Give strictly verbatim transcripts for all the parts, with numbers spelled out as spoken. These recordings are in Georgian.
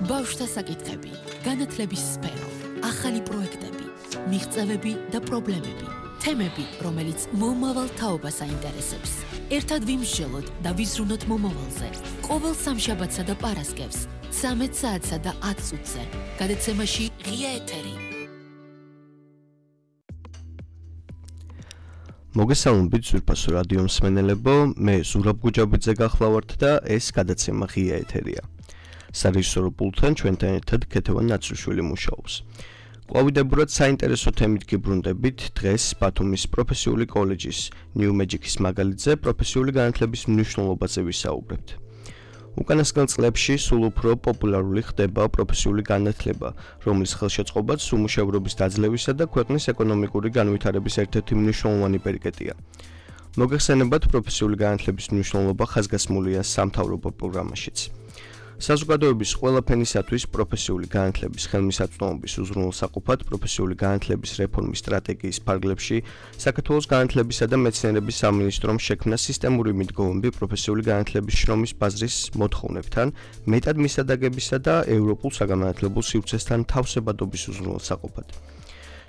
ბავშვთა საკითხები, განათლების სფერო, ახალი პროექტები, მიღწევები და პრობლემები, თემები, რომელიც მომავალ თაობას აინტერესებს. ერთად ვიმსჯელოთ და ვიზრუნოთ მომავალზე. ყოველ სამშაბათსა და პარასკევს, ცამეტ საათსა და ათ წუთზე. გადაცემაში ღია ეთერი. მოგესალმებით ზურფასო რადიო მსმენელებო, მე ზურაბ გუჯაბიძე გახლავართ და ეს გადაცემა ღია ეთერია. სარეჟისორო პულტთან ჩვენთან ერთად ქეთევან ნაცრუშვილი მუშაობს. ყვავიდებურად საინტერესო თემით გიბრუნდებით დღეს ბათუმის პროფესიული კოლეჯის New Magic-ის მაგალითზე პროფესიული განათლების მნიშვნელობაზე ვისაუბრებთ. უკანასკნელ წლებში სულ უფრო პოპულარული ხდება პროფესიული განათლება, რომლის ხელშეწყობაც უმუშევრობის დაძლევისა და ქვეყნის ეკონომიკური განვითარების ერთ-ერთი მნიშვნელოვანი პერიკეტია. მოგეხსენებათ პროფესიული განათლების მნიშვნელობა ხაზგასმულია სამთავრობო პროგრამაშიც. საზოგადოების ყველა ფენისათვის პროფესიული განათლების ხელმისაწვდომობის უზრუნველსაყოფად პროფესიული განათლების რეფორმის სტრატეგიის ფარგლებში საქართველოს განათლებისა და მეცნიერების სამინისტრომ შექმნა სისტემური მიდგომები პროფესიული განათლების შრომის ბაზრის მოთხოვნებთან, მეტად მისადაგებისა და ევროპულ საგანმანათლებელ სივრცესთან თავსებადობის უზრუნველსაყოფად.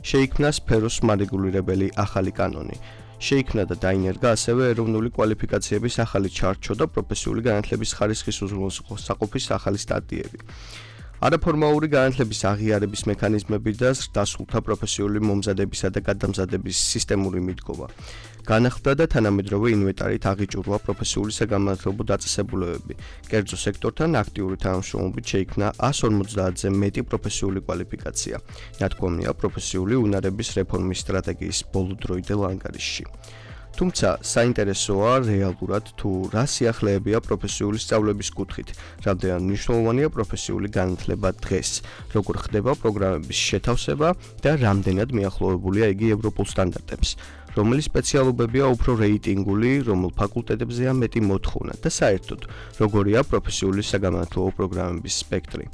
შეიქმნა სფეროს მარეგულირებელი ახალი კანონი. შეიქმნა და დაინერგა ასევე ეროვნული კვალიფიკაციების ახალი ჩარჩო და პროფესიული განათლების ხარისხის უზრუნველსაყოფის ახალი სტატიები. არაფორმალური განათლების აღიარების მექანიზმები და დასრულდა პროფესიული მომზადებისა და გადამზადების სისტემური მიდგომა. განახლდა და თანამედროვე ინვენტარით აღიჭურვა პროფესიული საგანმანათლებლო დაწესებულებები. კერძო სექტორთან აქტიური თანამშრომლობით შეიქმნა ას ორმოცდაათზე მეტი პროფესიული კვალიფიკაცია. ნათქვამია პროფესიული უნარების რეფორმის სტრატეგიის ბოლოდროიდელ ანგარიშში. თუმცა საინტერესოა რეალურად თუ რა სიახლეებია პროფესიული სწავლების კუთხით, რამდენად მნიშვნელოვანია პროფესიული განათლება დღეს, როგორ ხდება პროგრამების შეთავსება და რამდენად მიახლოვებულია იგი ევროპულ სტანდარტებს, რომელი სპეციალობებია უფრო რეიტინგული, რომელ ფაკულტეტებზეა მეტი მოთხოვნა და საერთოდ როგორია პროფესიული საგანმანათლებლო პროგრამების სპექტრი.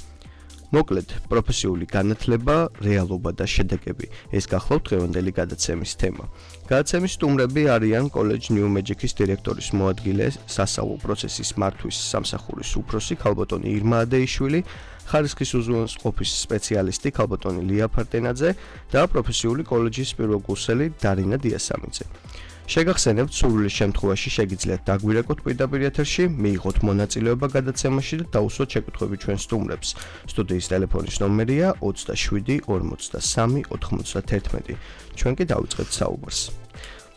მოკლედ, პროფესიული განათლება, რეალობა და შედეგები. ეს გახლავთ დღევანდელი გადაცემის თემა. გადაცემის სტუმრები არიან კოლეჯ New Magic-ის დირექტორის მოადგილე, სასწავლო პროცესის მართვის სამსახურის უფროსი ქალბატონი ირმა ადეიშვილი, ხარისხის უზრუნველყოფის სპეციალისტი ქალბატონი ლია ფარტენაძე და პროფესიული კოლეჯის პირველკურსელი დარინა დიასამიძე. შეგახსენებთ, სურვილის შემთხვევაში შეგიძლიათ დაგვირეკოთ პირდაპირ ეთერში, მიიღოთ მონაწილეობა გადაცემაში და დაუსვათ შეკითხვები ჩვენ სტუმრებს. სტუდიის ტელეფონის ნომერია ოცდაშვიდი ორმოცდასამი ოთხმოცდაათერთმეტი. ჩვენ კი დავიწყებთ საუბარს.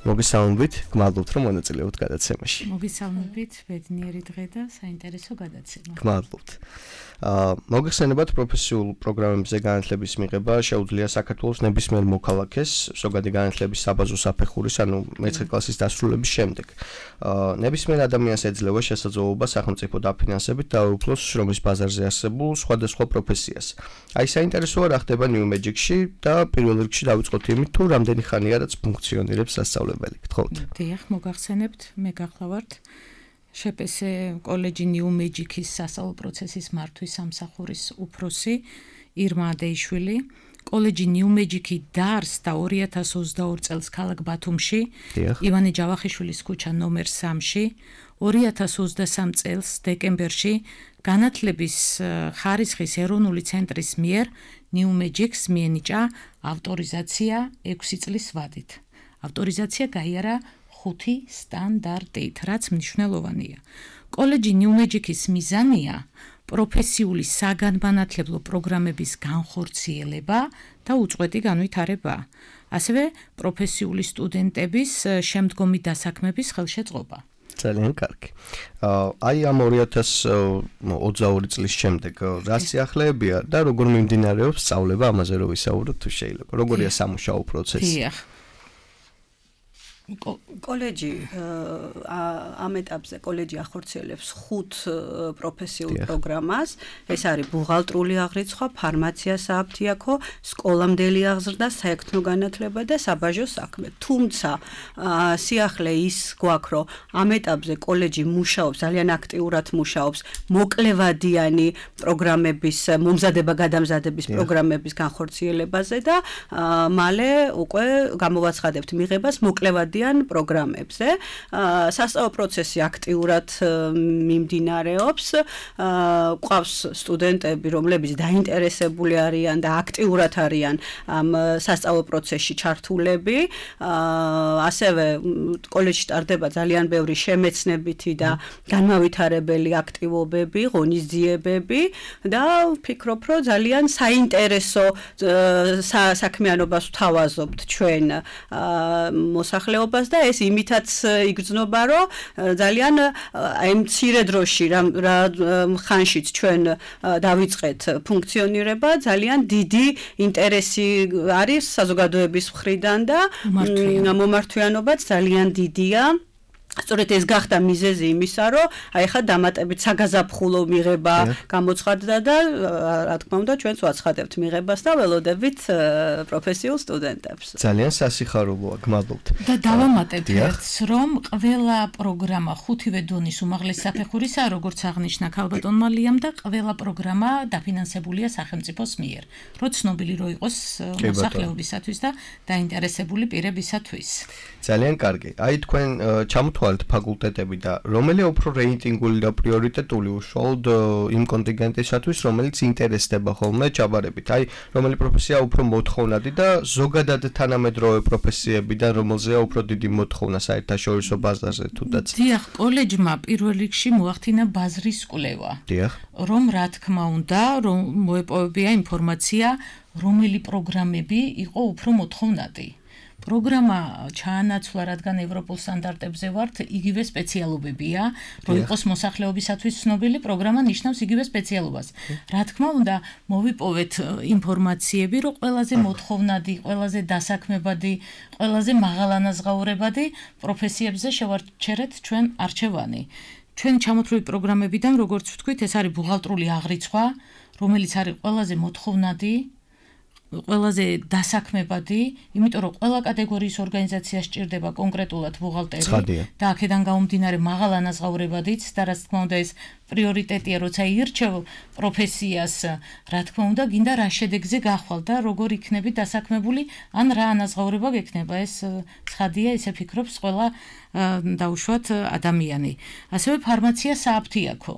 მოგესალმებით, გმადლობთ რომ მონაწილეობთ გადაცემაში. მოგესალმებით, ბედნიერი დღე და საინტერესო გადაცემა. გმადლობთ. აა მოგეხსენებათ პროფესიულ პროგრამებზე განათლების მიღება შეუძლია საქართველოს ნებისმიერ მოქალაქეს ზოგადი განათლების საბაზო საფეხურის, ანუ მეცხრე კლასის დასრულების შემდეგ. აა ნებისმიერ ადამიანს ეძლევა შესაძლებლობა სახელმწიფო დაფინანსებით დაეუფლოს შრომის ბაზარზე არსებულ სხვადასხვა პროფესიას. აი საინტერესოა რა ხდება New Magic-ში და პირველ რიგში დავიწყოთ იმით, თუ რამდენი ხანია რაც ფუნქციონირებს სასწავლებელი. გთხოვთ. დიახ, მოგახსენებთ, მე გახლავართ შეპესე კოლეჯი New Magic-ის სასწავლო პროცესის მართვის სამსახურის უფროსი ირმა ადეიშვილი. კოლეჯი New Magic-ი დაარსდა ორი ათას ოცდაორი წელს ქალაქ ბათუმში, ივანე ჯავახიშვილის ქუჩა ნომერ სამში, ორი ათას ოცდასამი წელს დეკემბერში განათლების ხარისხის ეროვნული ცენტრის მიერ New Magic-ს მიენიჭა ავტორიზაცია ექვსი წლის ვადით. ავტორიზაცია გაიარა ხუთი სტანდარტით, რაც მნიშვნელოვანია. კოლეჯი New Magic-ის მიზანია პროფესიული საგანმანათლებლო პროგრამების განხორციელება და უწყვეტი განვითარება, ასევე პროფესიული სტუდენტების შემდგომი დასაქმების ხელშეწყობა. ძალიან კარგი. აი ამ ორი ათას ოცდაორი წლის შემდეგ რა სიახლეებია და როგორ მიმდინარეობს სწავლება, ამაზე რო ვისაუბროთ თუ შეიძლება. როგორია სამუშაო პროცესი? დიახ. კოლეჯი ამ ეტაპზე კოლეჯი ახორციელებს ხუთ პროფესიულ პროგრამას. ეს არის ბუღალტრული აღრიცხვა, ფარმაცია, სააფთიაქო, სკოლამდელი აღზრდა, საექთნო განათლება და საბაჟო საქმე. თუმცა სიახლე ის გვაქვს, რომ ამ ეტაპზე კოლეჯი მუშაობს, ძალიან აქტიურად მუშაობს მოკლევადიანი პროგრამების მომზადება გადამზადების პროგრამების განხორციელებაზე და მალე უკვე გამოვაცხადებთ მიღებას მოკლევადიანი გადადიან პროგრამებზე. სასწავლო პროცესი აქტიურად მიმდინარეობს. ყავს სტუდენტები, რომლებიც დაინტერესებული არიან და აქტიურად არიან ამ სასწავლო პროცესში ჩართულები. ასევე კოლეჯში ტარდება ძალიან ბევრი შემეცნებითი და განმავითარებელი აქტივობები, ღონისძიებები და ვფიქრობ, რომ ძალიან საინტერესო საქმიანობას ვთავაზობთ ჩვენ მოსახლეობას და ეს იმითაც იგრძნობა, რომ ძალიან აი მცირე დროში რა ხანშიც ჩვენ დავიწყეთ ფუნქციონირება, ძალიან დიდი ინტერესი არის საზოგადოების მხრიდან და მომართვიანობაც ძალიან დიდია. სწორედ ეს გახდა მიზეზი იმისა, რომ აი ხა დამატებით საგაზაფხულო მიღება გამოცხადდა და რა თქმა უნდა ჩვენც ვაცხადებთ მიღებას და ველოდებით პროფესიულ სტუდენტებს. ძალიან სასიხარულოა, გმადლობთ. და დავამატებ ერთს, რომ ყველა პროგრამა ხუთივე დონის უმაღლესი საფეხურისაა, როგორც აღნიშნა ქალბატონმა ლიამ და ყველა პროგრამა დაფინანსებულია სახელმწიფოს მიერ. რო ცნობილი რო იყოს მოსახლეობისათვის და დაინტერესებული პირებისათვის. ძალიან კარგი. აი თქვენ ჩამოთვალეთ ფაკულტეტები და რომელია უფრო რეიტინგული და პრიორიტეტული უშუალოდ იმ კონტინგენტისათვის, რომელიც ინტერესდება ხოლმე ჩაბარებით. აი, რომელი პროფესია უფრო მოთხოვნადი და ზოგადად თანამედროვე პროფესიებიდან რომელზეა უფრო დიდი მოთხოვნა საერთაშორისო ბაზარზე თუდაც. დიახ, კოლეჯმა პირველ რიგში მოახდინა ბაზრის კვლევა. დიახ. რომ რა თქმა უნდა, რომ მოეპოვებია ინფორმაცია, რომელი პროგრამები იყო უფრო მოთხოვნადი. პროგრამა ჩაანაცვლა, რადგან ევროპულ სტანდარტებზე ვართ, იგივე სპეციალობებია, რომ იყოს მოსახლეობისათვის ცნობილი, პროგრამა ნიშნავს იგივე სპეციალობას. რა თქმა უნდა, მოვიპოვეთ ინფორმაციები, რომ ყველაზე მოთხოვნადი, ყველაზე დასაქმებადი, ყველაზე მაღალანაზღაურებადი პროფესიებზე შევარჩერეთ ჩვენ არჩევანი. ჩვენ ჩამოთვლილი პროგრამებიდან, როგორც ვთქვით, ეს არის ბუღალტრული აღრიცხვა, რომელიც არის ყველაზე მოთხოვნადი, ყველაზე დასაქმებადი, იმიტომ რომ ყველა კატეგორიის ორგანიზაცია სჭირდება კონკრეტულად ბუღალტერი და აქედან გამომდინარე მაღალანაზღაურებადიც და რაც თქმა უნდა ეს პრიორიტეტია, როცა ირჩევ პროფესიას, რა თქმა უნდა, გინდა რა შედეგზე გახვალ და როგორ იქნები დასაქმებული, ან რა ანაზღაურება გექნება. ეს ცხადია, ისე ფიქრობს ყველა დაუშვათ ადამიანი. ასევე ფარმაცია სააფთიაქო.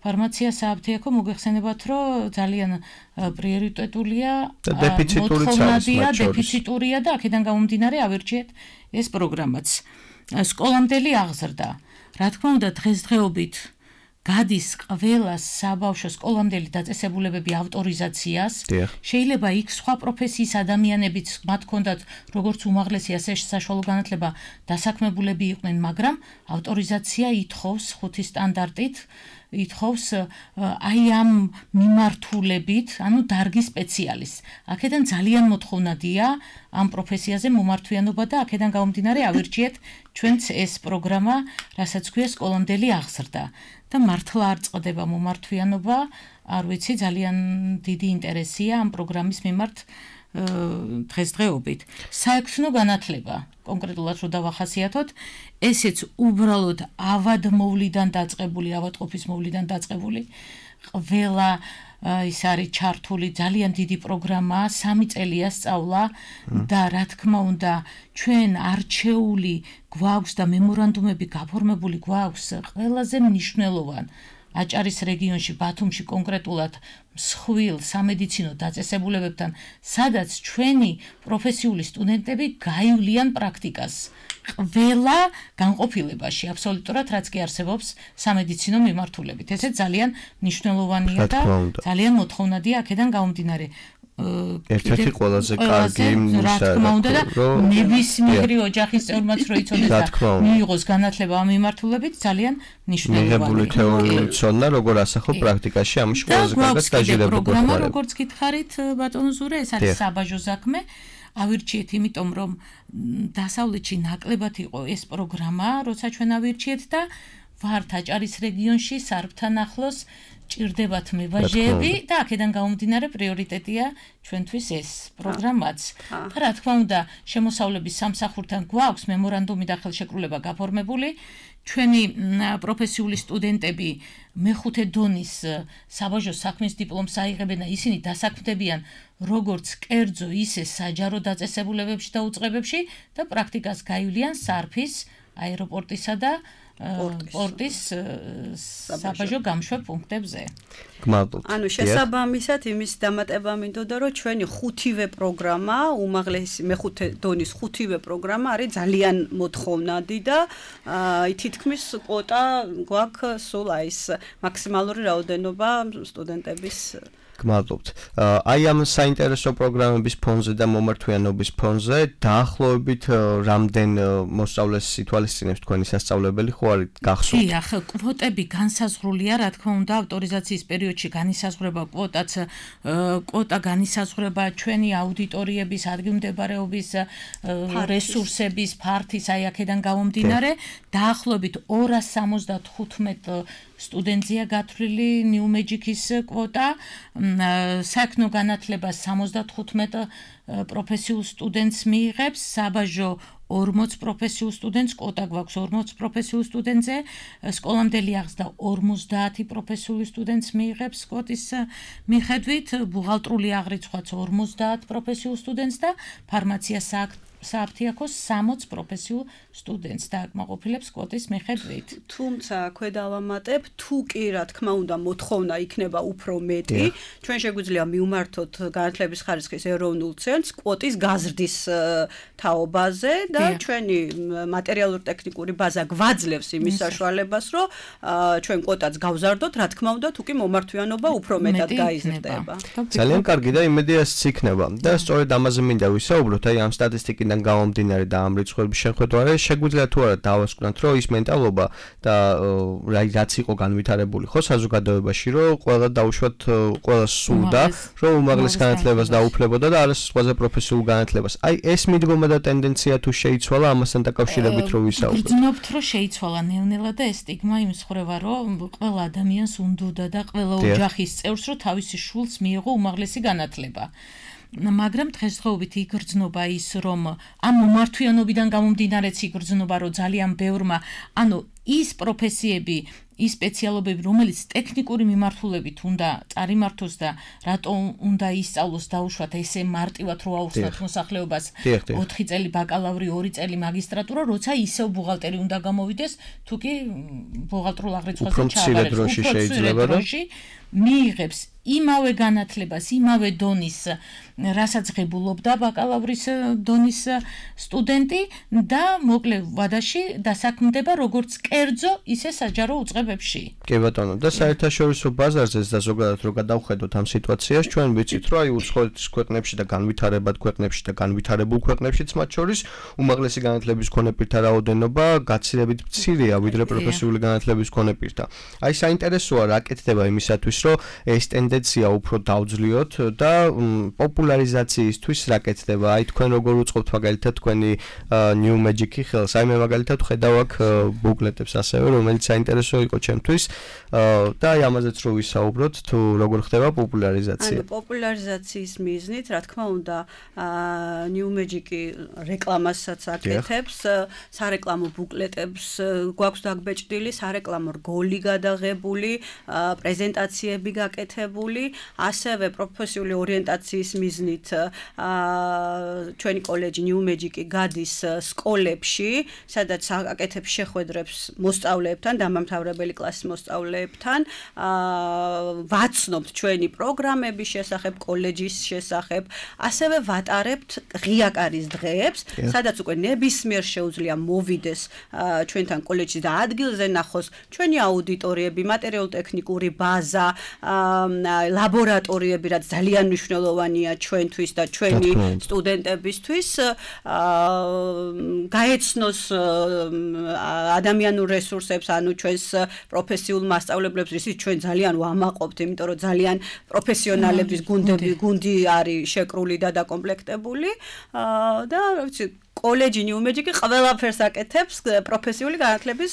ფარმაცია სააფთიაქო მოგეხსენებათ, რომ ძალიან პრიორიტეტულია, მოთხოვნადია, დეფიციტურია და აქედან გამომდინარე ავირჩიეთ ეს პროგრამაც. სკოლამდელი აღზრდა. რა თქმა უნდა, დღესდღეობით გადის ყველა საბავშვო სკოლამდელი დაწესებულებები ავტორიზაციას. შეიძლება იქ სხვა პროფესიის ადამიანებიც მათ ჰქონდათ როგორც უმაღლესი, ასე საშუალო განათლება დასაქმებულები იყვნენ, მაგრამ ავტორიზაცია ითხოვს ხუთი სტანდარტით. ითხოვს აი ამ მიმართულებით, ანუ დარგის სპეციალისტს. აქედან ძალიან მოთხოვნადია ამ პროფესიაზე მომართვიანობა და აქედან გამომდინარე ავირჩიეთ ჩვენც ეს პროგრამა, რასაც ქვია სკოლამდელი აღზრდა. და მართლა არ წყდება მომართვიანობა, არ ვიცი, ძალიან დიდი ინტერესია ამ პროგრამის მიმართ დღესდღეობით. საექცნო განათლება, კონკრეტულად რო დავახასიათოთ, ესეც უბრალოდ ავადმოვლიდან დაწყებული, ავადყოფის მოვლიდან დაწყებული, ყველა ის არის ჩართული ძალიან დიდი პროგრამა, სამი წელია სწავლა და რა თქმა უნდა, ჩვენ არჩეული გვაქვს და მემორანდუმები გაფორმებული გვაქვს ყველაზე მნიშვნელოვანი აჭარის რეგიონში, ბათუმში კონკრეტულად მსხვილ სამედიცინო დაწესებულებებთან, სადაც ჩვენი პროფესიული სტუდენტები გაივლიან პრაქტიკას. ყველა განყოფილებაში, აბსოლუტურად რაც კი არსებობს სამედიცინო მიმართულებით. ესე ძალიან მნიშვნელოვანია და ძალიან მოთხოვნადია აქედან გამომდინარე. ერთ-ერთი ყველაზე კარგი რა თქმა უნდა და ნებისმიერი ოჯახის წევრმაც რო იცოდეს და მიიღოს განათლება ამ მიმართულებით ძალიან მნიშვნელოვანია. მიღებული თეორიული ცოდნა როგორ ასახო პრაქტიკაში, ამაში ყველაზე კარგად სტაჟირება პროგრამა, როგორც გითხარით ბატონო ზურე, ეს არის საბაჟო საქმე. ავირჩიეთ, იმიტომ რომ დასავლეთში ნაკლებად იყო ეს პროგრამა, როცა ჩვენ ავირჩიეთ და ვართ აჭარის რეგიონში სარბთან ახლოს ჭირდებათ მებაჟეები და აქედან გამომდინარე პრიორიტეტია ჩვენთვის ეს პროგრამაც. და რა თქმა უნდა, შემოსავლების სამსახურთან გვაქვს მემორანდუმი და ხელშეკრულება გაფორმებული. ჩვენი პროფესიული სტუდენტები მეხუთე დონის საბაჟო საქმის დიპლომს აიღებენ და ისინი დასაქმდებიან როგორც კერძო, ისე საჯარო დაწესებულებებში და უწყებებში და პრაქტიკას გაივლიან სარფის, აეროპორტისა და პორტის საბაჟო გამშვე პუნქტებზე. გმადლობთ. ანუ შესაბამისად იმის დამატება მინდოდა, რომ ჩვენი ხუთივე პროგრამა, უმაღლესი მეხუთე დონის ხუთივე პროგრამა არის ძალიან მოთხოვნადი და აი თითქმის კვოტა გვაქვს სულ აი ეს მაქსიმალური რაოდენობა სტუდენტების. გმადლობთ. აი ამ საინტერესო პროგრამების ფონზე და მომართვიანობის ფონზე დაახლოებით რამდენ მოსწავლეს ითვალისწინებს თქვენი სასწავლებელი ხო არის გახსოვთ? დიახ, კვოტები განსაზღვრულია, რა თქმა უნდა, ავტორიზაციის პერიოდში განისაზღვრება კვოტაც, კვოტა განისაზღვრება ჩვენი აუდიტორიების, ადგილმდებარეობის, რესურსების, ფართის, აი აქედან გამომდინარე, დაახლოებით ორას სამოცდათხუთმეტ სტუდენტია გათვლილი New Magic-ის კვოტა, საქმო განათლებას სამოცდათხუთმეტ პროფესიულ სტუდენტს მიიღებს, საბაჟო ორმოც პროფესიულ სტუდენტს, კვოტა გვაქვს ორმოც პროფესიულ სტუდენტზე, სკოლამდელი აღზრდა ორმოცდაათი პროფესიული სტუდენტს მიიღებს კვოტის მიხედვით, ბუღალტრული აღრიცხვაც ორმოცდაათ პროფესიულ სტუდენტს და ფარმაცია სააფთიაქოს სამოც პროფესიულ სტუდენტს დააკმაყოფილებს კვოტის მიხედვით. თუმცა ქვედავამატებ, თუ კი რა თქმა უნდა მოთხოვნა იქნება უფრო მეტი, ჩვენ შეგვიძლია მივმართოთ განათლების ხარისხის ეროვნულ ცენტრს კვოტის გაზრდის თაობაზე და ჩვენი მატერიალურ-ტექნიკური ბაზა გვაძლევს იმის საშუალებას, რომ ჩვენ კვოტაც გავზარდოთ, რა თქმა უნდა, თუ კი მომართვიანობა უფრო მეტად გაიზრდება. ძალიან კარგი და იმედიაც იქნება. და სწორედ ამაზე მინდა ვისაუბროთ, აი ამ სტატისტიკიდან გამომდინარე და ამ რიცხვების შეხვედრაზე შეგვიძლია თუ არა დავასკვნათ, რომ ის მენტალობა და რაც იყო განვითარებული ხო საზოგადოებაში, რომ ყველა დაუშვათ, ყველა სურდა, რომ უმაღლეს განათლებას დაუფლებოდა და არა სხვაზე პროფესიულ განათლებას. აი ეს მიდგომა და ტენდენცია თუ შეიცვალა ამასთან დაკავშირებით რო ვისაუბროთ. ვგრძნობთ, რომ შეიცვალა ნევნელა და ეს სტიგმა იმის ხრევა, რომ ყველა ადამიანს უნდოდა და ყველა ოჯახის წევრს, რომ თავისი შულს მიიღო უმაღლესი განათლება. მაგრამ დღესდღეობით იგრძნობა ის, რომ ამ მომართვიანობიდან გამომდინარეც იგრძნობა, რომ ძალიან ბევრმა, ანუ ის პროფესიები, ის სპეციალობები, რომელიც ტექნიკური მიმართულებით უნდა წარიმართოს და რატო უნდა ისწავლოს დაუშვათ ესე მარტივად რო აუხსნათ მოსახლეობას ოთხი წელი ბაკალავრი, ორი წელი მაგისტრატურა, როცა ისევ ბუღალტერი უნდა გამოვიდეს, თუ კი ბუღალტრულ აღრიცხვაზე ჩააბარებს, უფრო შეიძლება და მიიღებს იმავე განათლებას, იმავე დონის, რასაც ღებულობდა ბაკალავრის დონის სტუდენტი და მოკლე ვადაში დასაქმდება როგორც კერძო, ისე საჯარო უწყებებში. კი ბატონო, და საერთაშორისო ბაზარზეც და ზოგადად რო გადავხედოთ ამ სიტუაციას, ჩვენ ვიცით, რომ აი უცხოეთის ქვეყნებში და განვითარებად ქვეყნებში და განვითარებულ ქვეყნებშიც მათ შორის უმაღლესი განათლების მქონე პირთა რაოდენობა გაცილებით მცირეა, ვიდრე პროფესიული განათლების მქონე პირთა. აი საინტერესოა რა კეთდება იმისათვის, რომ ეს ტენდენცია უფრო დავძლიოთ და პოპულარიზაციისთვის რა კეთდება? აი თქვენ როგორ უწყობთ მაგალითად თქვენი New Magic-ი ხელს? აი მე მაგალითად ხედავ აქ ბუკლეტებს ასევე, რომელიც საინტერესო იყო ჩემთვის და აი ამაზეც რო ვისაუბროთ, თუ როგორ ხდება პოპულარიზაცია. ანუ პოპულარიზაციის მიზნით, რა თქმა უნდა, New Magic-ი რეკლამასაც აკეთებს, სარეკლამო ბუკლეტებს გვაქვს დაგბეჭდილი, სარეკლამო რგოლი გადაღებული, პრეზენტაციები გაკეთებული, ასევე პროფესიული ორიენტაციის მიზნით ჩვენი კოლეჯი New Magic-ი გადის სკოლებში, სადაც აკეთებს შეხვედრებს მოსწავლეებთან, დამამთავრებელი კლასის მოსწავლეებთან, ვაცნობთ ჩვენი პროგრამების შესახებ, კოლეჯის შესახებ, ასევე ვატარებთ ღიაკარის დღეებს, სადაც უკვე ნებისმიერ შეუძლია მოვიდეს ჩვენთან კოლეჯში და ადგილზე ნახოს ჩვენი აუდიტორიები, მატერიალურ-ტექნიკური ბაზა, ლაბორატორიები, რაც ძალიან მნიშვნელოვანია ჩვენთვის და ჩვენი სტუდენტებისთვის, გაეცნოს ადამიანურ რესურსებს, ანუ ჩვენს პროფესიულ მასწავლებლებს, ისიც ჩვენ ძალიან ვამაყობთ, იმიტომ რომ ძალიან პროფესიონალების გუნდები, გუნდი არის შეკრული და დაკომპლექტებული და რა ვიცი კოლეჯი New Magic-ი ყველაფერს აკეთებს პროფესიული განათლების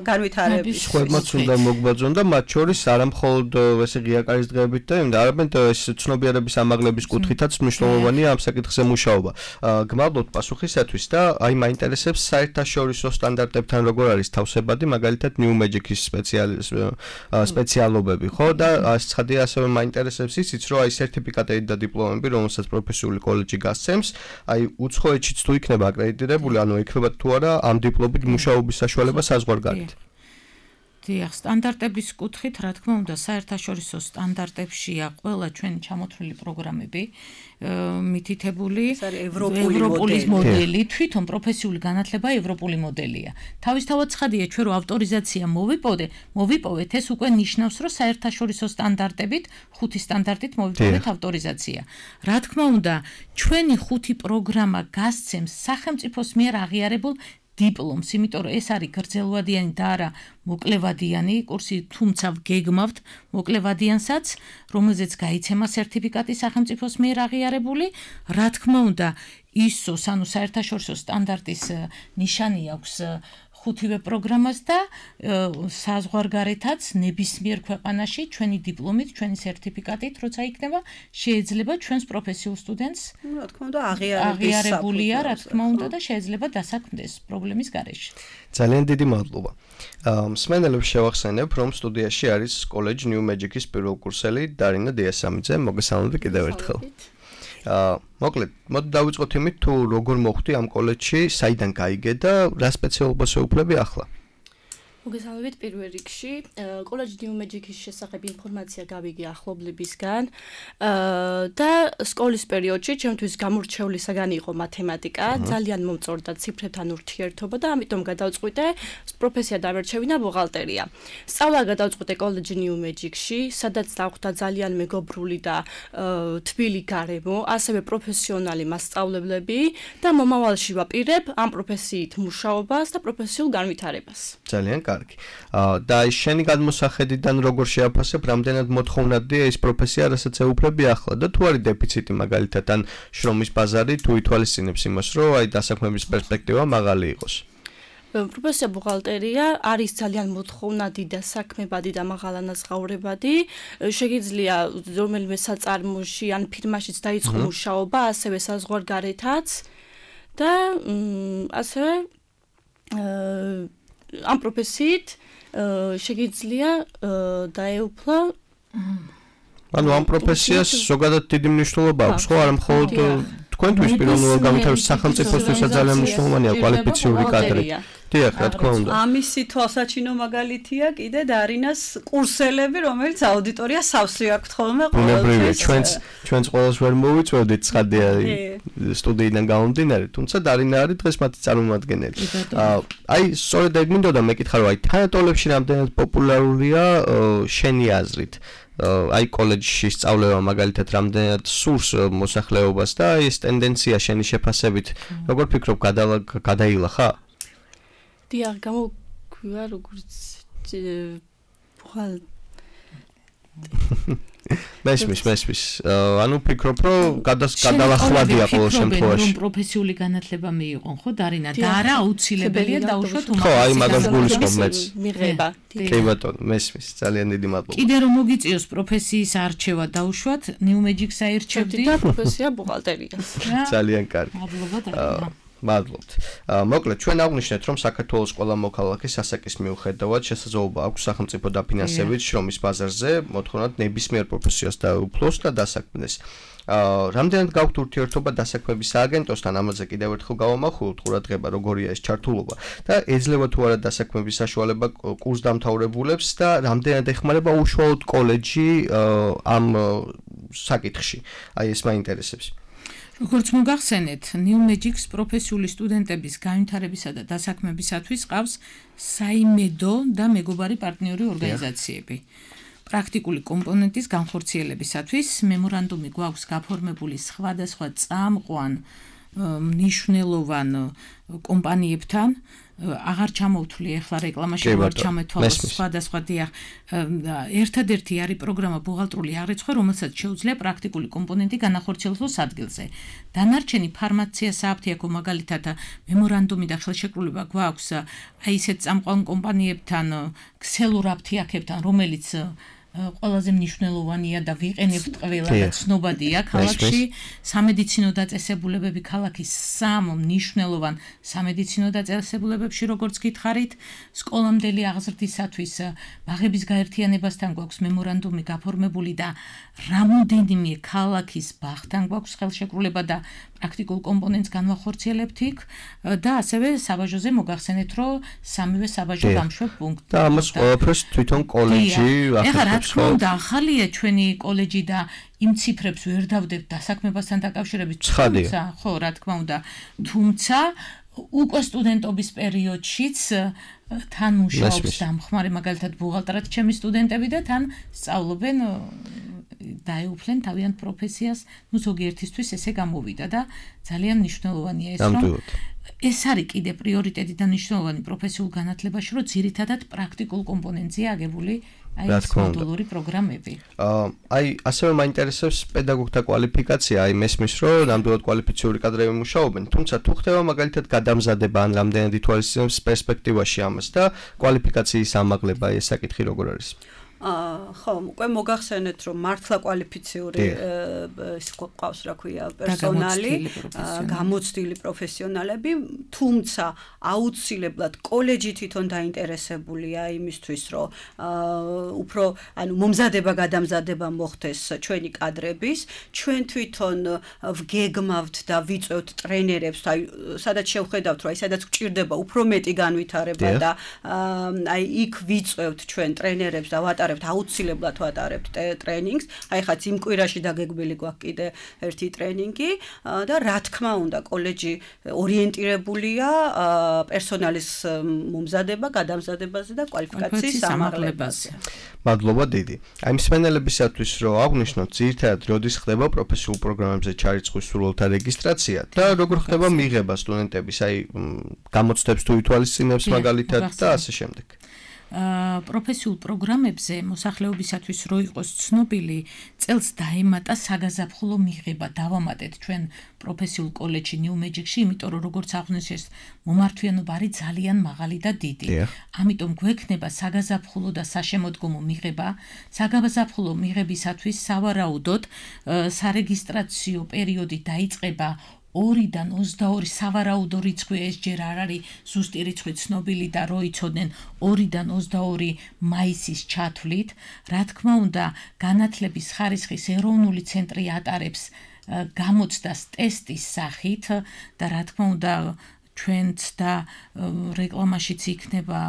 განვითარების. სხვებმაც უნდა მოგბაძონ და მათ შორის არა მხოლოდ ესე ღიაკარის დღეებით და იმდა, არამედ ეს ცნობიერების ამაღლების კუთხითაც მნიშვნელოვანია ამ საკითხზე მუშაობა. გმადლობთ პასუხისათვის და აი მაინტერესებს საერთაშორისო სტანდარტებთან როგორ არის თავსებადი, მაგალითად New Magic-ის სპეციალობები, ხო? და ცხადია ასევე მაინტერესებს ისიც, რომ აი სერტიფიკატები და დიპლომები, რომელსაც პროფესიული კოლეჯი გასცემს, აი უცხოეთშიც თუ იქნება აკრედიტირებული, ანუ იქნება თუ არა ამ დიპლომით მუშაობის საშუალება საზღვარგარეთ. დიახ, სტანდარტების კუთხით, რა თქმა უნდა, საერთაშორისო სტანდარტებშია ყველა ჩვენი ჩამოთვლილი პროგრამები მითითებული ევროპული მოდელი, თვითონ პროფესიული განათლება ევროპული მოდელია. თავისთავად ცხადია, ჩვენ რო ავტორიზაცია მოვიპოვე, მოვიპოვეთ, ეს უკვე ნიშნავს, რომ საერთაშორისო სტანდარტებით, ხუთი სტანდარტით მოვიპოვეთ ავტორიზაცია. რა თქმა უნდა, ჩვენი ხუთი პროგრამა გასცემს სახელმწიფოს მიერ აღიარებულ დიპლომს, იმიტომ რომ ეს არის გრძელვადიანი და არა მოკლევადიანი კურსი, თუმცა გეგმავთ მოკლევადიანსაც, რომელზეც გაიცემა სერტიფიკატი სახელმწიფოს მიერ აღიარებული. რა თქმა უნდა, ისოს, ანუ საერთაშორისო სტანდარტის ნიშანი აქვს ხუთივე პროგრამას და საზღვარგარეთაც ნებისმიერ ქვეყანაში ჩვენი დიპლომით, ჩვენი სერტიფიკატით, როცა იქნება, შეიძლება ჩვენს პროფესიულ სტუდენტს რა თქმა უნდა აღიარებულია, რა თქმა უნდა და შეიძლება დასაქმდეს პრობლემის გარეშე. ძალიან დიდი მადლობა. მსმენელებს შევახსენებ, რომ სტუდიაში არის კოლეჯ New Magic-ის პირველკურსელი დარინა დიასამიძე. მოგესალმებით კიდევ ერთხელ. აა მოკლედ, მოდი დავიწყოთ იმით, თუ როგორ მოხვდი ამ კოლეჯში, საიდან გაიგე და რა სპეციალობას ეუფლები ახლა? მოგესალმებით პირველ რიგში. კოლეჯ New Magic-ის შესახებ ინფორმაცია გავიგე ახლობლებისგან და სკოლის პერიოდში ჩემთვის გამორჩეული საგანი იყო მათემატიკა, ძალიან მომწონდა ციფრებთან ურთიერთობა და ამიტომ გადავწყვიტე პროფესია დამერჩევინა ბუღალტერია. სწავლა გადავწყვიტე კოლეჯ New Magic-ში, სადაც დახვდა ძალიან მეგობრული და თბილი გარემო, ასევე პროფესიონალი მასწავლებლები და მომავალში ვაპირებ ამ პროფესიით მუშაობას და პროფესიულ განვითარებას. ძალიან კარგი. და აი შენი გადმოსახედიდან როგორ შეაფასებ, რამდენად მოთხოვნადია ეს პროფესია, რასაც ეუფლები ახლა და თუ არის დეფიციტი მაგალითად ან შრომის ბაზარი თუ ითვალისწინებს იმას, რომ აი დასაქმების პერსპექტივა მაღალი იყოს. პროფესია ბუღალტერია არის ძალიან მოთხოვნადი და საქმებადი და მაღალანაზღაურებადი. შეგიძლია რომელიმე საწარმოში ან ფირმაშიც დაიწყო მუშაობა, ასევე საზღვარგარეთაც და ასევე ამ პროფესიით შეგიძლია დაეუფლა ანუ ამ პროფესიას ზოგადად დიდი მნიშვნელობა აქვს, ხო, არა მხოლოდ თქვენთვის პირველად განვითარების სახელმწიფოსთვისაც ძალიან მნიშვნელოვანია კვალიფიციური კადრი. დიახ, რა თქმა უნდა. ამისი თვალსაჩინო მაგალითია კიდე დარინას კურსელები, რომელიც აუდიტორია სავსე აქვთ ხოლმე ყოველთვის. ჩვენც ჩვენც ყოველს ვერ მოვიწვევდით ცხადია სტუდიიდან გამომდინარე, თუმცა დარინა არის დღეს მათი წარმომადგენელი. აი, სწორედ ეგ მინდოდა მეკითხა, რომ აი თანატოლებში რამდენად პოპულარულია შენი აზრით? აი კოლეჯში სწავლება მაგალითად რამდენად სურს მოსახლეობას და აი ეს ტენდენცია შენი შეფასებით როგორ ფიქრობ გადაილა ხა? დიახ, გამოგვია როგორც ბუღალ მესმის, მესმის. ანუ ფიქრობ, რომ გადალახვადია ყოველ შემთხვევაში. რომ პროფესიული განათლება მიიღონ, ხო, დარინა? და არა აუცილებელია დაუშვათ უმაღლესი. ხო, აი მაგას გულისხმობ მეც. მიღება. კი ბატონო, მესმის. ძალიან დიდი მადლობა. კიდე რომ მოგიწიოს პროფესიის არჩევა დაუშვათ, New Magic-ს აირჩევდი და პროფესია ბუღალტერია. ძალიან კარგი. მადლობა დარინა. მადლობთ. მოკლედ, ჩვენ აღვნიშნეთ, რომ საქართველოს ყველა მოქალაქე სასაკის მიუხედავად შესაძლებლობა აქვს სახელმწიფო დაფინანსებით შრომის ბაზარზე მოთხოვნად ნებისმიერ პროფესიას დაეუფლოს და დასაქმდეს. რამდენად გაქვთ ურთიერთობა დასაქმების სააგენტოსთან, ამაზე კიდევ ერთხელ გავამახვილოთ ყურადღება, როგორია ეს ჩართულობა და ეძლევა თუ არა დასაქმების საშუალება კურსდამთავრებულებს და რამდენად ეხმარება უშუალოდ კოლეჯი ამ საკითხში. აი ეს მაინტერესებს. როგორც მოგახსენეთ, New Magic-ის პროფესიული სტუდენტების განვითარებისა და დასაქმებისათვის ყავს საიმედო და მეგობარი პარტნიორი ორგანიზაციები. პრაქტიკული კომპონენტის განხორციელებისათვის მემორანდუმი გვაქვს გაფორმებული სხვადასხვა წამყვან მნიშვნელოვან კომპანიებთან აღარ ჩამოვთვლი ახლა რეკლამაში აღარ ჩამეთვალა სხვადასხვა დიახ ერთადერთი არის პროგრამა ბუღალტრული აღრიცხვა რომელსაც შეუძლია პრაქტიკული კომპონენტი განახორციელოს ადგილზე დანარჩენი ფარმაცია სააფთიაქო მაგალითად მემორანდუმი და ხელშეკრულება გვაქვს აი ისეთ წამყვან კომპანიებთან ქსელურ აფთიაქებთან რომელიც ყველაზე მნიშვნელოვანია და ვიყენებთ ყველა და ცნობადია ქალაქში სამედიცინო დაწესებულებები ქალაქის სამ მნიშვნელოვან სამედიცინო დაწესებულებებში როგორც გითხარით სკოლამდელი აღზრდისათვის ბაღების გაერთიანებასთან გვაქვს მემორანდუმი გაფორმებული და რამოდენიმე ქალაქის ბაღთან გვაქვს ხელშეკრულება და პრაქტიკულ კომპონენტს განვახორციელებთ იქ და ასევე საბაჟოზე მოგახსენეთ რომ სამივე საბაჟო გამშვებ პუნქტი და ამას ყველაფერს თვითონ კოლეჯი ახერხებს და ახალია ჩვენი კოლეჯი და იმ ციფრებს ვერ დავდებთ დასაქმებასთან დაკავშირებით თუმცა ხო რა თქმა უნდა თუმცა უკვე სტუდენტობის პერიოდშიც თან მუშაობს დამხმარე მაგალითად ბუღალტრად ჩემი სტუდენტები და თან სწავლობენ დაეუფლენ თავიანთ პროფესიას ნუ ზოგიერთისთვის ესე გამოვიდა და ძალიან მნიშვნელოვანია ეს რომ ეს არის კიდე პრიორიტეტი და მნიშვნელოვანი პროფესიულ განათლებაში რომ ძირითადად პრაქტიკულ კომპონენტზეა აგებული აი ეს მოდულური პროგრამები. აი ასევე მაინტერესებს პედაგოგთა კვალიფიკაცია, აი მესმის რომ ნამდვილად კვალიფიციური კადრები მუშაობენ, თუმცა თუ ხდება მაგალითად გადამზადება ან რამდენად ითვალისწინებს პერსპექტივაში ამას და კვალიფიკაციის ამაღლება, ეს საკითხი როგორ არის? აა ხო, უკვე მოგახსენეთ რომ მართლა კვალიფიციური ის ყავს რა ქვია პერსონალი, გამოცდილი პროფესიონალები, თუმცა აუცილებლად კოლეჯი თვითონ დაინტერესებულია იმისთვის, რომ აა უფრო ანუ მომზადება გადამზადება მოხდეს ჩვენი კადრების, ჩვენ თვითონ ვგეგმავთ და ვიწევთ ტრენერებს, აი სადაც შევხედავთ რომ აი სადაც გჭირდება უფრო მეტი განვითარება და აი იქ ვიწევთ ჩვენ ტრენერებს და ვატარებთ აუცილებლად ვატარებთ ტრენინგს. აი ხაც იმ კვირაში დაგეგმილი გვაქვს კიდე ერთი ტრენინგი და რა თქმა უნდა კოლეჯი ორიენტირებულია პერსონალის მომზადება, გადამზადებაზე და კვალიფიკაციის ამაღლებაზე. მადლობა დიდი. აი მსმენელებისათვის რომ აღვნიშნოთ ძირითადად როდის ხდება პროფესიულ პროგრამებზე ჩარიცხვის სურვილთა რეგისტრაცია და როგორ ხდება მიღება სტუდენტების აი გამოცდებს თუ ითვალისწინებს მაგალითად და ასე შემდეგ. პროფესიულ პროგრამებზე მოსახლეობისათვის რო იყოს ცნობილი წელს დაემატა საგაზაფხულო მიღება დავამატეთ ჩვენ პროფესიულ კოლეჯში New Magic-ში, იმიტომ რომ როგორც აღვნიშნეს მომართვიანობა არის ძალიან მაღალი და დიდი. ამიტომ გვექნება საგაზაფხულო და საშემოდგომო მიღება. საგაზაფხულო მიღებისათვის სავარაუდოდ სარეგისტრაციო პერიოდი დაიწყება ორიდან ოცდაორი სავარაუდო რიცხვი ეს ჯერ არ არის ზუსტი რიცხვი ცნობილი და რო იცოდნენ ორიდან ოცდაორი მაისის ჩათვლით, რა თქმა უნდა, განათლების ხარისხის ეროვნული ცენტრი ატარებს გამოცდას ტესტის სახით და რა თქმა უნდა ჩვენც და რეკლამაშიც იქნება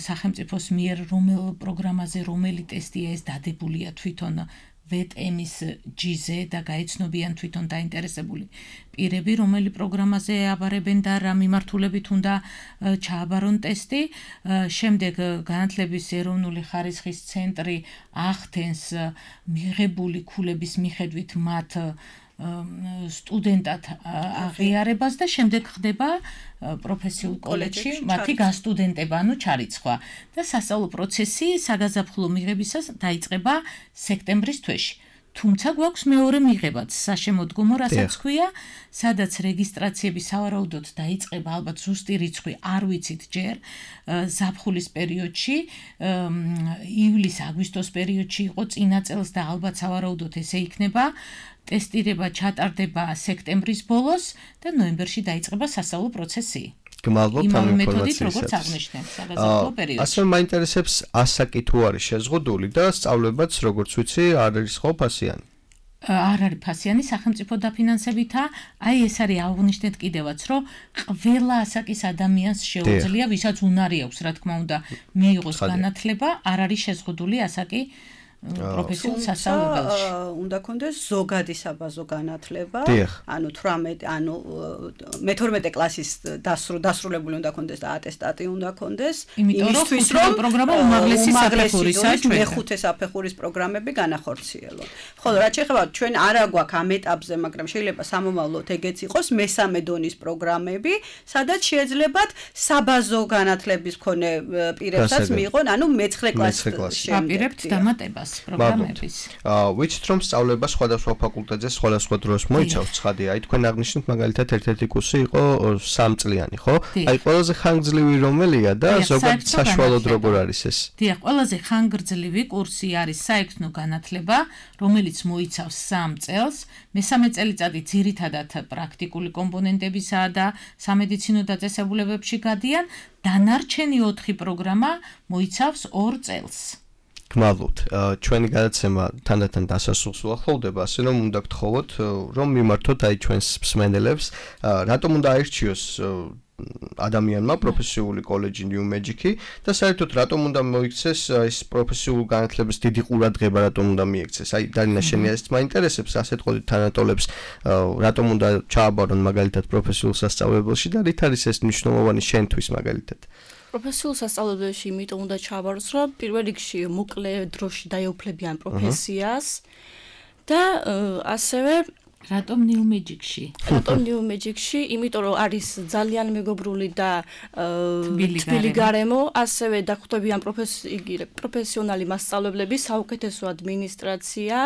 სახელმწიფოს მიერ რომელ პროგრამაზე რომელი ტესტია ეს დადებულია თვითონ ვეტ-ემის ჯიზე და გაიცნობიან თვითონ დაინტერესებული პირები, რომელი პროგრამაზე აბარებენ და რა მიმართულებით უნდა ჩააბარონ ტესტი. შემდეგ განათლების ეროვნული ხარისხის ცენტრი ახდენს მიღებული ქულების მიხედვით მათ სტუდენტად აღიარებას და შემდეგ ხდება პროფესიულ კოლეჯში მათი გასტუდენტება, ანუ ჩარიცხვა და სასწავლო პროცესი საგაზაფხულო მიღებისას დაიწყება სექტემბრის თვეში. თუმცა გვაქვს მეორე მიღებაც, საშემოდგომო, რასაც ქვია, სადაც რეგისტრაციები სავარაუდოდ დაიწყება, ალბათ ზუსტი რიცხვი არ ვიცით ჯერ, ზაფხულის პერიოდში, ივლის-აგვისტოს პერიოდში იყო წინა წელს და ალბათ სავარაუდოდ ესე იქნება. ტესტირება ჩატარდება სექტემბრის ბოლოს და ნოემბერში დაიწყება სასწავლო პროცესი. გმადლობთ ამ ინფორმაციისათვის. როგორც აღნიშნეთ, საგაზაფხულო პერიოდში. ასე მაინტერესებს ასაკი თუ არის შეზღუდული და სწავლებაც როგორც ვიცი არ არის ხო ფასიანი. არ არის ფასიანი სახელმწიფო დაფინანსებითა, აი ეს არის აღნიშნეთ კიდევაც, რომ ყველა ასაკის ადამიანს შეუძლია, ვისაც უნარი აქვს, რა თქმა უნდა, მიიღოს განათლება, არ არის შეზღუდული ასაკი პროფესიულ სასწავლებელში. უნდა კონდეს ზოგადი საბაზო განათლება, ანუ თვრამეტი, ანუ მეთორმეტე კლასის დასრულებული უნდა კონდეს და ატესტატი უნდა კონდეს, იმისთვის რომ პროგრამა უმაღლესი საფეხურისა ჩვენ მეხუთე საფეხურის პროგრამები განახორციელოთ. ხოლო რაც შეეხება ჩვენ არა გვაქვს ამ ეტაპზე, მაგრამ შეიძლება სამომავლოდ ეგეც იყოს მესამე დონის პროგრამები, სადაც შეეძლებათ საბაზო განათლების მქონე პირებსაც მიიღონ, ანუ მეცხრე კლასში აპირებთ დამატებას პროგრამების. აა ვიცით რომ სწავლება სხვადასხვა ფაკულტეტზე სხვადასხვა დროს მოიცავს ცხადია. აი თქვენ აღნიშნეთ მაგალითად ერთ-ერთი კურსი იყო სამწლიანი, ხო? აი ყველაზე ხანგრძლივი რომელია და ზოგადად საშუალოდ როგორ არის ეს? დიახ, ყველაზე ხანგრძლივი კურსი არის საექნო განათლება, რომელიც მოიცავს სამ წელს. მესამე წელიწადი ძირითადად პრაქტიკული კომპონენტებისაა და სამედიცინო დაწესებულებებში გადიან. დანარჩენი ოთხი პროგრამა მოიცავს ორ წელს. გმალობთ, ჩვენი გადაცემა თანდათან დასასრულს უახლოვდება, ასე რომ უნდა გთხოვოთ, რომ მიმართოთ აი ჩვენს მსმენელებს, რატომ უნდა აირჩიოს ადამიანმა პროფესიული კოლეჯი New Magic-ი და საერთოდ რატომ უნდა მოიქცეს ეს პროფესიული განათლების დიდი ყურადღება რატომ უნდა მიექცეს? აი დარინა შენი ეს მაინტერესებს, ასეთ ყოდით თანატოლებს რატომ უნდა ჩააბარონ მაგალითად პროფესიულ სასწავლებელში და რით არის ეს მნიშვნელოვანი შენთვის მაგალითად? პროფესიულ სასწავლებელში იმიტომ უნდა ჩააბაროს, რომ პირველ რიგში მოკლე დროში დაეუფლებიან პროფესიას და ასევე რატომ New Magic-ში? რატომ New Magic-ში? იმიტომ რომ არის ძალიან მეგობრული და თბილი გარემო, ასევე დახვდებიან პროფესიონალი მასწავლებლები, საუკეთესო ადმინისტრაცია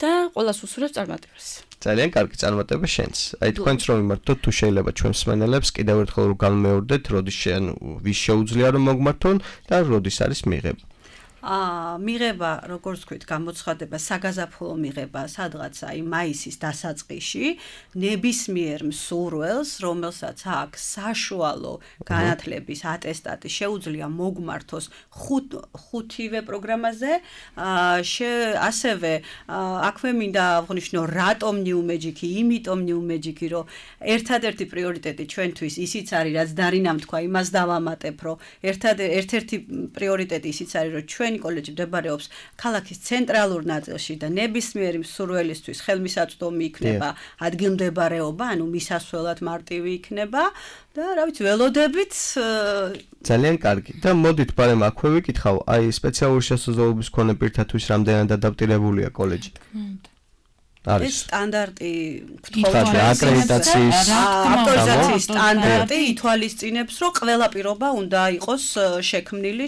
და ყველას უსურვებს წარმატებას. ძალიან კარგი წარმატება შენს. აი თქვენც რომ მიმართოთ, თუ შეიძლება ჩვენს მსმენელებს კიდევ ერთხელ რომ განმეორდეთ, როდის შენ ვის შეუძლია რომ მოგმართონ და როდის არის მიღება. აა მიღება, როგორც ვთქვით, გამოცხადება საგაზაფხულო მიღება, სადღაც აი მაისის დასაწყისში, ნებისმიერ მსურველს, რომელსაც აქვს საშუალო განათლების ატესტატი, შეუძლია მოგმართოს ხუთივე პროგრამაზე. აა ასევე აქვე მინდა აღვნიშნო, რატომ New Magic-ი, იმიტომ New Magic-ი, რომ ერთადერთი პრიორიტეტი ჩვენთვის ისიც არის, რაც დარინამ თქვა, იმას დავამატებ, რომ ერთ-ერთი პრიორიტეტი ისიც არის, რომ ჩვენ კოლეჯი მდებარეობს ქალაქის ცენტრალურ ნაწილში და ნებისმიერი მსურველისთვის ხელმისაწვდომი იქნება ადგილმდებარეობა, ანუ მისასვლელად მარტივი იქნება და რა ვიცი, ველოდებით ძალიან კარგი. და მოდით ბარემ აქვე ვიკითხავ, აი სპეციალური შესაძლებლობის მქონე პირთათვის რამდენად ადაპტირებულია კოლეჯი? არის სტანდარტი გთხოვა აკრედიტაციის ავტორიზაციის სტანდარტი ითვალისწინებს, რომ ყველა პირობა უნდა იყოს შექმნილი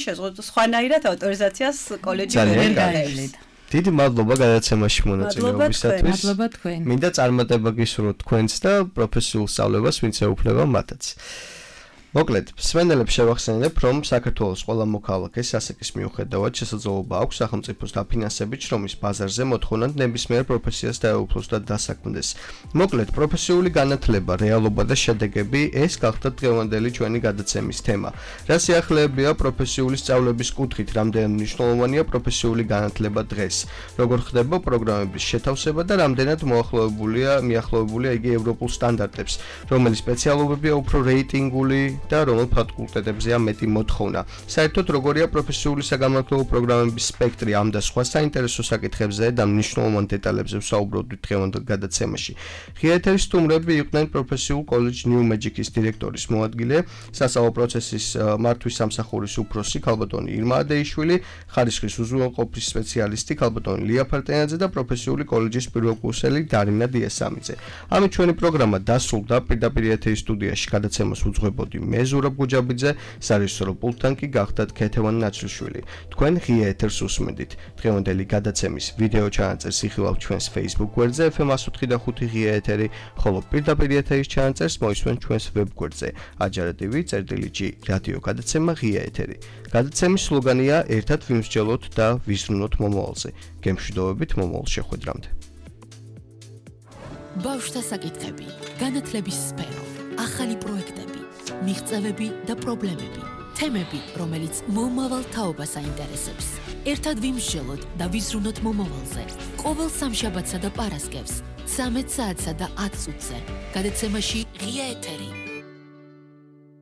სხვანაირად ავტორიზაციას კოლეჯი ვერ გაევლით. დიდი მადლობა გადაცემაში მონაწილეობისათვის. მადლობა თქვენ. მინდა წარმატება გისურვოთ თქვენს და პროფესიულ სწავლებას ვინც ეუფლება მათაც. მოკლედ, მსმენელებს შევახსენებ, რომ საქართველოს ყველა მოქალაქეს ასაკის მიუხედავად შესაძლებლობა აქვს სახელმწიფოს დაფინანსებით შრომის ბაზარზე მოთხოვნად ნებისმიერ პროფესიას დაეუფლოს და დასაქმდეს. მოკლედ, პროფესიული განათლება, რეალობა და შედეგები ეს გახდა დღევანდელი ჩვენი გადაცემის თემა. რა სიახლეებია პროფესიული სწავლების კუთხით, რამდენად მნიშვნელოვანია პროფესიული განათლება დღეს, როგორ ხდება პროგრამების შეთავსება და რამდენად მოახლოებულია, მიახლოებულია იგი ევროპულ სტანდარტებს, რომელი სპეციალობებია უფრო რეიტინგული და რომელ ფაკულტეტებზეა მეტი მოთხოვნა. საერთოდ როგორია პროფესიული საგანმანათლებლო პროგრამების სპექტრი ამ და სხვა საინტერესო საკითხებზე და მნიშვნელოვან დეტალებზე ვსაუბრობთ დღევანდელ გადაცემაში. ღია ეთერის სტუმრები იყვნენ პროფესიულ კოლეჯ New Magic-ის დირექტორის მოადგილე, სასწავლო პროცესის მართვის სამსახურის უფროსი ქალბატონი ირმა ადეიშვილი, ხარისხის უზრუნველყოფის სპეციალისტი ქალბატონი ლია ფარტენაძე და პროფესიული კოლეჯის პირველკურსელი დარინა დიასამიძე. ამით ჩვენი პროგრამა დასრულდა. პირდაპირ ეთერის სტუდიაში გადაცემას უძღვებოდი მე ზურაბ გუჯაბიძე, სარეჟისორო პულტთან კი გახდათ ქეთევან ნაცრიშვილი. თქვენ ღია ეთერს უსმენდით. დღევანდელი გადაცემის ვიდეო ჩანაწერს იხილავთ ჩვენს Facebook გვერდზე ეფ ემ εκατს ოთხი და ხუთი ღია ეთერი, ხოლო პირდაპირ ეთერის ჩანაწერს მოისმენთ ჩვენს ვებ გვერდზე აჯარა ტივი წერტილი ჯი რადიო გადაცემა ღია ეთერი. გადაცემის სლოგანია ერთად ვიმსჯელოთ და ვიზრუნოთ მომავალზე. გემშვიდობებით მომავალ შეხვედრამდე. ბავშვთა საკითხები, განათლების სფერო, ახალი პროექტები, მიღწევები და პრობლემები, თემები, რომელიც მომავალ თაობას აინტერესებს. ერთად ვიმსჯელოთ და ვიზრუნოთ მომავალზე. ყოველ სამშაბათსა და პარასკევს, ცამეტ საათსა და ათ წუთზე. გადაცემაში ღია ეთერი.